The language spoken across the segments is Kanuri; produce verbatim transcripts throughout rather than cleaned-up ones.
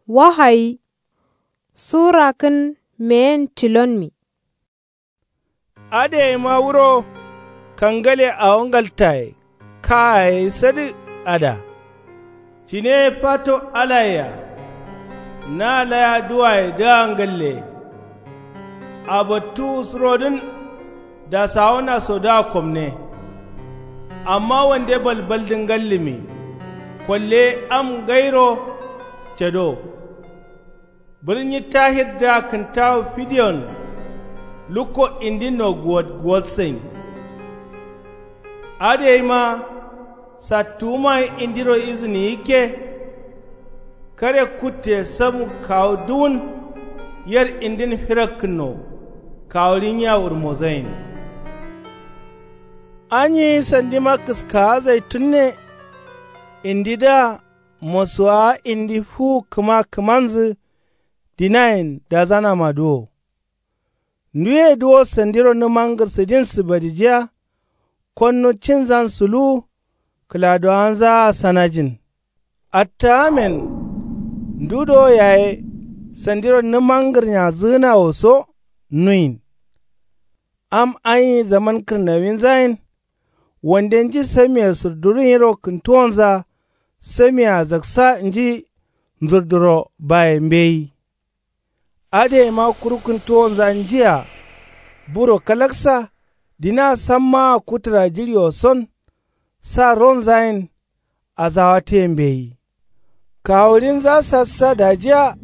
Wahayi. Sura kǝn meyen tilonmi. Adǝ yayi ma wuro kangale awo ngaltaye kayaye sadǝ ada. Cine ye fato alayea na laya duwaye dǝa ngalle. Abattu surodǝn dasawonaso dǝa komne. Amma wande balbaldǝ ngallǝmi kolle am ngairo cado. Bǝrnyi tahirdǝa kǝntawu fidiyon lukko indinno guwot guwotsain. Adǝ yayi ma sattuwumaye indiro izǝni yikke. Kare kutte samu kawu duwun yer indin firakkǝnno kawurinyiya wurmozain. Anyi sandima kǝskawa zaitunne. Indidǝa mosuwawa indi fuwu kǝma kǝmanzǝ dinayen dazanamadǝ wo. Nduye duwo sandiro nǝmangǝr sǝdinsǝ badijiya. Konnu cinzan suluwu kǝladowanzaa sanajin. Attawamen ndu do yaye sandiro nǝmangǝrnyazǝgǝnawo so nuyin. Am anyi zaman kǝrnawinzayen. Wande nji samiye surduru nyiro kǝntuwonza samiyea zaksa nji nzurduro baye mbeyi. Adǝ yayi ma kuru kǝntuwonza njia buro kalaksa dina sammaa kutǝra jiɍiwo son. Sa ronzayen azawatǝye mbeyi. Kawuɍinza sassa dajiya.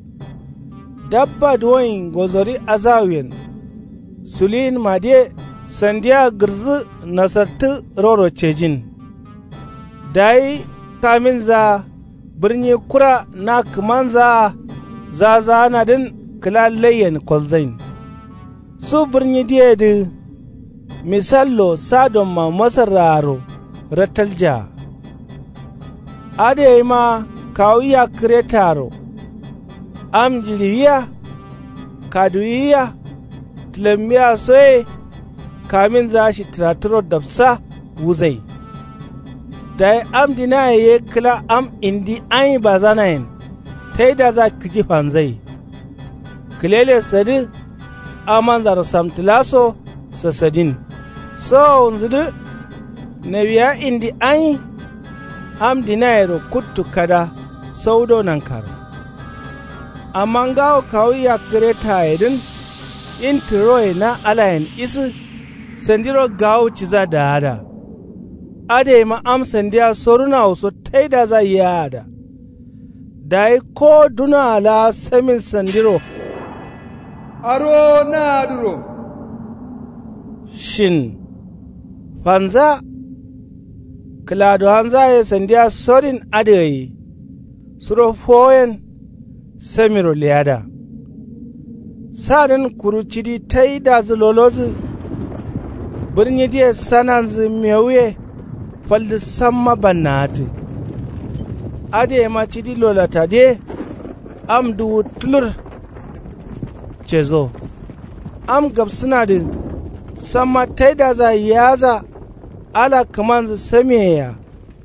Dabba duwoin ngozori azawuyen suluyinmadǝye sandiya gǝrǝzǝ nasartǝ roro cejin. Dayi kaminzaa bǝrnyi kura na kǝmanzaa zazaanadǝn kǝla laiyen kolzain. Su bǝrnyi diyedǝ misallo sadomma masarraaro rattaljaa. Adǝ yayi ma kawu yakkǝretaro am njiɍiwiya kaduwiya tǝlammiya soye. Kaminza shittǝrattǝro dapsa wuzai. Dayi am dinaye ye kǝla am indi anyi bazanayen taidaza kǝji fanzai. Kǝlele sadǝ amanzaro samtǝlaso sasadin. Sawowunzǝdǝ nawiya indi anyi am dinayero kuttu kada saudo nankaro. Amma ngawo kawu yakkǝretayedǝn intǝroye na alayen isǝ sandiro gawu ciza daada. Adǝ yayi ma am sandiya sorunawo so taidaza yiyaada. Dayi kowo dunoa laa samin sandiro arowo naadǝro shin fanza. Kǝladowanzaye sandiya sorin adǝ gai suro fowoyen samiro leyada. Sadǝn kuru cidi taidazǝ lolozǝ. Bǝrnyidǝye sananzǝ mewuye faldǝ samma bannawatǝ. Adǝ yayi ma cidi lolatadǝye am duwu tulur cezo. Am gabsǝnadǝ samma taidaza yaza. Ala kǝmanzǝ samiyeyea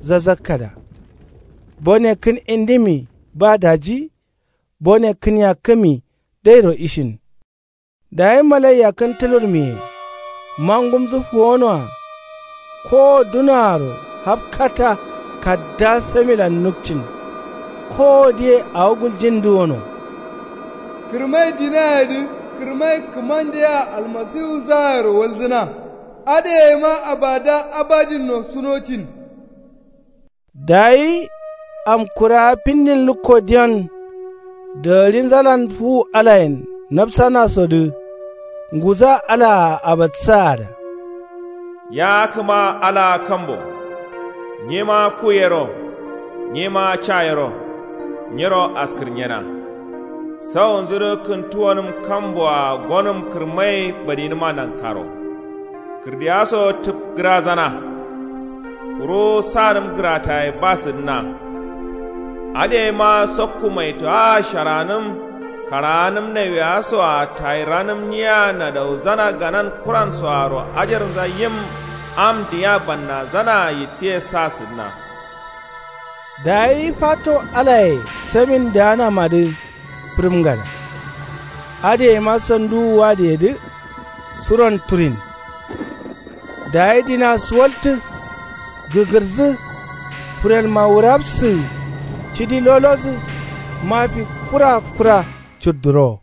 zazakkada. Bone kǝn indimi ba daji. Bone kǝn yakkǝmi dairo ishin. Dayi malai yakkǝn tulurmiye mangumzǝ fuwonoa. Kowo dunoaro hafkata kadda samilan nukcin. Kowodǝye awo guljin duwono. Kǝrmai dinayedǝ kǝrmai kǝmandeyea almasiwunzayero walzǝna. Adǝ yayi ma abada abadinno sunocin. Dayi amkurawa findin lukko diyon dagaɍinzalan fuwu alayen nafsanasodǝ nguza alaa abatsaada. Ya kǝma alaa kambo nyima ku yero nyima ca yero nyiro askǝrnyena. Sawonzudǝ kǝntuwonǝm kamboa gonǝm kǝrmai badinǝma nankaro. Kǝrdiyaso tǝpgǝrazana. Kuru sanǝm gǝrataye ba sǝdǝna. Adǝ yayi ma sokku maitoa sharanǝm karaanǝm nawiyasoa tayiranǝm nyiya nadauzana ganan kuransoaro ajarnza yim am dinya bannazanaa yittǝye sa sǝdǝna. Dayi fato alaye samin daanamadǝ bǝrǝmgada. Adǝ yeima sanduwu adǝ yedǝ suron turin. Dayi dina suwaltǝ gǝgǝrdǝ. Furelma wurabsǝ cidi lolodǝ. Mafi kura kura cudduro.